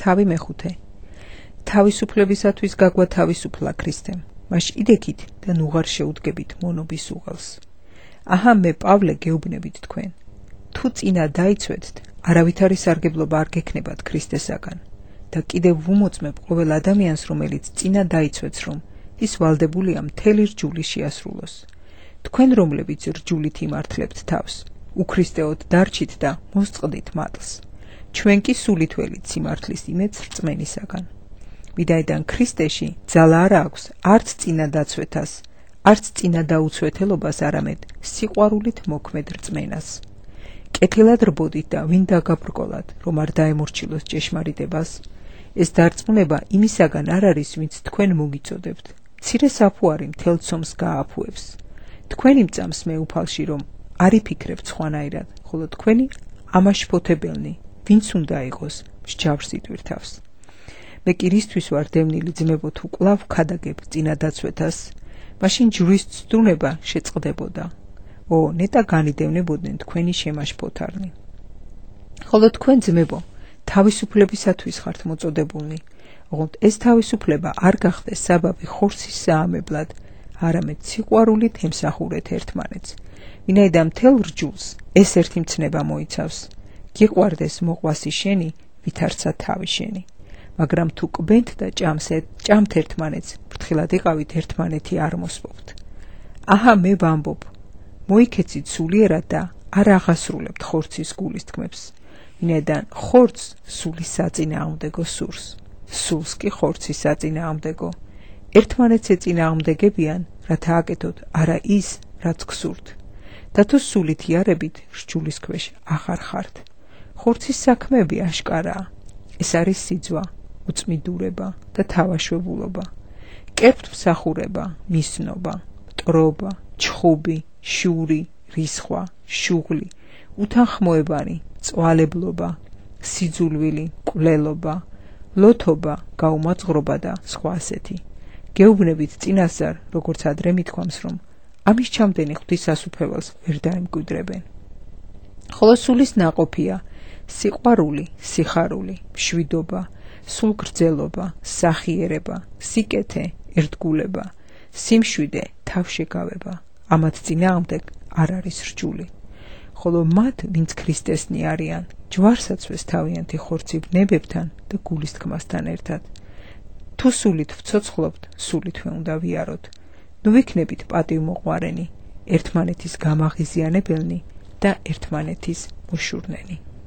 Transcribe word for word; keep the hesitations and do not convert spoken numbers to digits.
თავი მეხუთე. თავისუფლებისათვის გაგვა თავისუფლა ქრისტემ, მაშ იდექით და ნუღარ შეუდგებით მონობის უღელს. აჰა მე პავლე გეუბნებით თქვენ. თუ წინა დაიცვეთთ, არავითარი სარგებლობა არ გექნებათ ქრისტესაგან და კიდევ ვუმოწმებ ყოველ ადამიანს, რომელიც წინა დაიცვეთს, რომ ის ვალდებულია მთელი რჯული შეასრულოს. თქვენ რომლებიც რჯულით იმართლებთ თავს, უქრისტეოდ დარჩით და მოსწყდით მატლს. ჩვენ კი სულით ველით სიმართლის იმედს რწმენისაგან. ვინაიდან ქრისტეში ძალა არ აქვს არც წინა დაცვეთას, არც წინა დაუცვეთელობას, არამედ სიყვარულით მოქმედ რწმენას. კეთილად რბოდით და ვინ დაგაბრკოლათ, რომ არ დაემორჩილოს ჭეშმარიტებას. ეს დარწმუნება იმისაგან არ არის, ვინც თქვენ მოგიწოდებთ. მცირე საფუარი მთელ ცომს გააფუებს. თქვენი მწამს მე უფალში, რომ არ იფიქრებთ სხვანაირად, ხოლო თქვენი ამაშფოთებელნი, ვინც უნდა იყოს მსჯავრს იტვირთავს. მე კი რისთვის ვარ დევნილი ძმებო, თუ კვლავ ქადაგებ წინა დაცვეთას, მაშინ ჯვრის ცდუნება შეწყდებოდა. ო, ნეტა განიდევნებოდნენ თქვენი შემაშფოთარნი. ხოლო თქვენ ძმებო, თავისუფლებისათვის ხართ მოწოდებულნი, ოღონდ ეს თავისუფლება არ გახდეს საბაბი ხორცის საამებლად, არამედ სიყვარულით ემსახურეთ ერთმანეთს. ვინაიდან მთელ რჯულს ეს ერთი მცნება მოიცავს. გიყვარდეს მოყვასი შენი, ვითარცა თავი შენი. მაგრამ თუ კბენთ და ჭამთ ერთმანეთს, ფრთხილად იყავით ერთმანეთი არ მოსპობთ. აჰა მე ვამბობ, მოიქეცით სულიერად და არ აღასრულებთ ხორცის გულის თქმებს. ვინაიდან ხორცს სულის საწინააღმდეგო სურს, სულს კი ხორცის საწინააღმდეგო. ერთმანეთს ეწინააღმდეგებიან, რათა აკეთოთ არა ის, რაც გსურთ. და თუ სულით იარებით, რჯულის ქვეშ აღარ ხართ. ხორცის საქმეები აშკარაა. ეს არის სიძვა, უწმიდურება და თავაშვებულობა, კერძმსახურება, მისნობა, მტრობა, ჩხუბი, შური, რისხვა, შუღლი, უთანხმოებანი, წვალებლობა, სიძულვილი, კვლელობა, ლოთობა, გაუმაძღრობა და სხვა ასეთი. გეუბნებით წინასწარ, როგორც ადრე მithქვამს, რომ ამის ჩამდენი ღვთის ასუფეველს ვერ დაემკვიდრებენ. ხოლო სულის ნაყოფია სიყვარული, სიხარული, მშვიდობა, სულგრძელობა, სახიერება, სიკეთე, ერთგულება, სიმშვიდე, თავშეკავება. ამათ წინააღმდეგ არ არის რჯული. ხოლო მათ, ვინც ქრისტესნი არიან, ჯვარსაცვეს თავიანთი ხორცი ვნებებთან და გულის თქმასთან ერთად. თუ სულით ვცოცხლობთ, სულითვე უნდა ვიაროთ. ნუ ვიქნებით პატივმოყვარენი, ერთმანეთის გამაღიზიანებელნი და ერთმანეთის მოშურნენი.